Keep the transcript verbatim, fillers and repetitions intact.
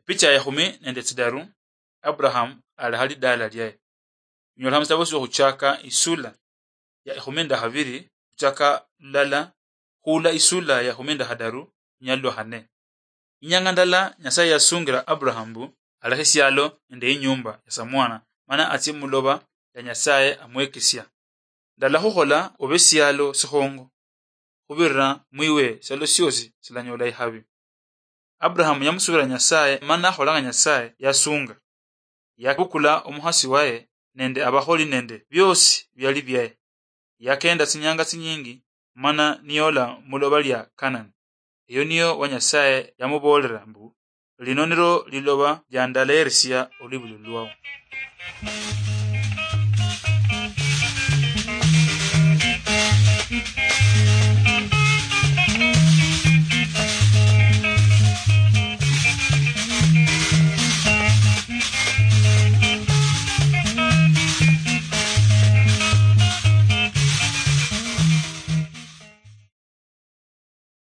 Picha ya ekhumi nende tsidaru, Abraham alekha lidala liaye. Binyolekha musitabo siokhuchaka isula ya ekhumi nende khabiri, khuchaka lulala khula isula ya ekhumi nende khadaru, lunyali lwa khane. Inyanga ndala Nyasaye yasungira Abraham mbu alekhe esialo nende inyumba ya samwana, mana atsie muloba ya Nyasaye amwekesia. Ndala khukhola obe esialo sikhongo, khubirira mwiwe esialo siosi silanyola ikhabi. Abraham yamusubira Nyasaye, mana akhola nga Nyasaye yasunga. Yabukula omukhasi waye nende abakholi nende biosi biali biaye. Yakenda tsinyanga tsinyingi, mana niyola muloba lia Kanani. Eyo niyo wa Nyasaye yamuboolera mbu, "Lino nilo liloba lia ndaleerisia olwibulilo lwao."